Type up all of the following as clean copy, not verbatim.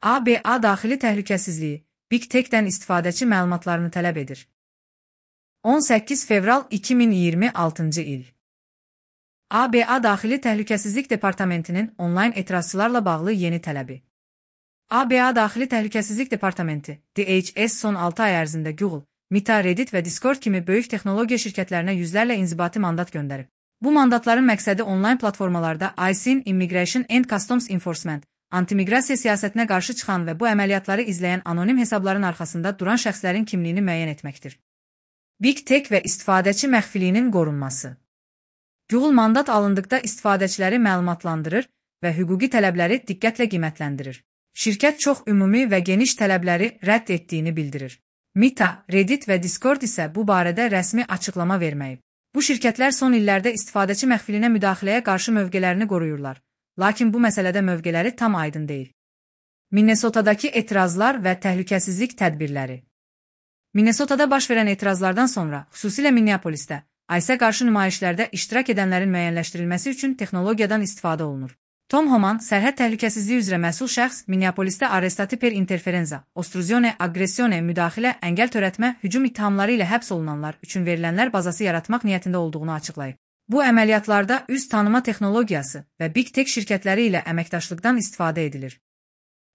ABA daxili təhlükəsizliyi Big Tech-dən istifadəçi məlumatlarını tələb edir. 18 fevral 2026-cı il. ABA Daxili Təhlükəsizlik Departamentinin onlayn etirazçılarla bağlı yeni tələbi. ABA Daxili Təhlükəsizlik Departamenti DHS son 6 ay ərzində Google, Meta, Reddit və Discord kimi böyük texnologiya şirkətlərinə yüzlərlə inzibati mandat göndərib. Bu mandatların məqsədi onlayn platformalarda ICE, Immigration and Customs Enforcement, antimiqrasiya siyasətinə qarşı çıxan və bu əməliyyatları izləyən anonim hesabların arxasında duran şəxslərin kimliyini müəyyən etməkdir. Big Tech və istifadəçi məxfiliyinin qorunması. Google mandat alındıqda istifadəçiləri məlumatlandırır və hüquqi tələbləri diqqətlə qiymətləndirir. Şirkət çox ümumi və geniş tələbləri rədd etdiyini bildirir. Meta, Reddit və Discord isə bu barədə rəsmi açıqlama verməyib. Bu şirkətlər son illərdə istifadəçi məxfiliyinə müdaxiləyə qarşı mövqelərini qoruyurlar, lakin bu məsələdə mövqeləri tam aydın deyil. Minnesotadakı etirazlar və təhlükəsizlik tədbirləri. Minnesotada baş verən etirazlardan sonra, xüsusilə Minneapolisdə, ICE-ə qarşı nümayişlərdə iştirak edənlərin müəyyənləşdirilməsi üçün texnologiyadan istifadə olunur. Tom Homan, sərhəd təhlükəsizliyi üzrə məsul şəxs, Minneapolisdə arrestati per interferenza, ostruzione, agresione, müdaxilə, əngəl törətmə, hücum ittihamları ilə həbs olunanlar üçün verilənlər bazası yaratmaq niyyətində olduğunu açıqlayıb. Bu əməliyyatlarda üz tanıma texnologiyası və Big Tech şirkətləri ilə əməkdaşlıqdan istifadə edilir.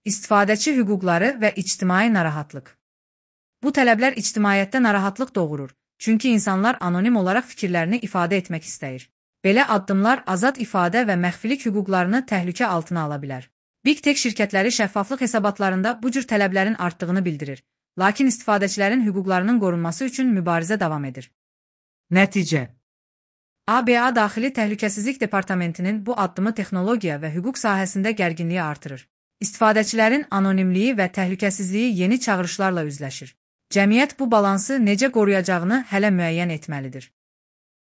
İstifadəçi hüquqları və ictimai narahatlıq. Bu tələblər ictimaiyyətdə narahatlıq doğurur, çünki insanlar anonim olaraq fikirlərini ifadə etmək istəyir. Belə addımlar azad ifadə və məxfilik hüquqlarını təhlükə altına ala bilər. Big Tech şirkətləri şəffaflıq hesabatlarında bu cür tələblərin artdığını bildirir, lakin istifadəçilərin hüquqlarının qorunması üçün mübarizə davam edir. Nəticə. ABA Daxili Təhlükəsizlik Departamentinin bu addımı texnologiya və hüquq sahəsində gərginliyi artırır. İstifadəçilərin anonimliyi və təhlükəsizliyi yeni çağırışlarla üzləşir. Cəmiyyət bu balansı necə qoruyacağını hələ müəyyən etməlidir.